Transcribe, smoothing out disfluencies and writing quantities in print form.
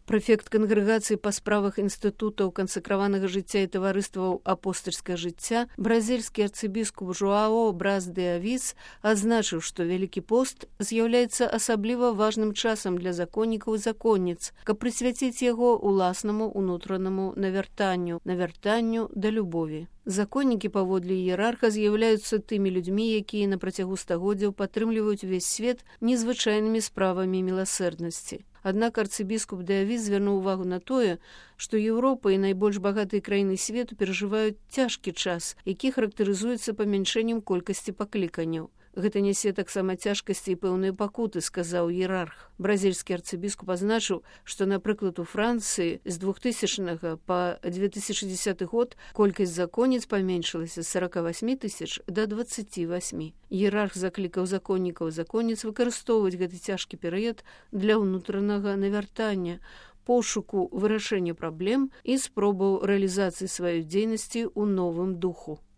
Прэфект кангрэгацыі па справах інстытутаў кансакраванага жыцця і таварыстваў апостальскага жыцця, бразільскі арцыбіскуп Жуао Брас де Авіс адзначыў, што Вялікі пост з'яўляецца асабліва важным часам для законнікаў і законніц, каб прысвяціць яго уласнаму ўнутранаму навяртанню да любові. Законнікі паводле іерарха з'яўляюцца тымі людзьмі, якія на працягу стагоддзяў падтрымліваюць увесь свет незвычайнымі справамі міласэрнасці. Аднак арцыбіскуп де Авіс звярнуў увагу на тое, што Еўропа і найбольш багатыя краіны свету перажываюць цяжкі час, які характарызуецца памяншэннем колькасці пакліканняў. Гэта нясе таксама цяжкасці і пэўныя пакуты, сказаў іерарх. Бразільскі арцыбіскуп азначыў, што, напрыклад, у Францыі з 2000 па 2010 год колькасць законніц паменшылася з 48 тысяч да 28. Іерарх заклікаў законнікаў і законніц выкарыстоўваць гэты цяжкі перыяд для ўнутранага навяртання, пошуку вырашэння праблем і спробаў рэалізацыі сваёй дзейнасці ў новым духу.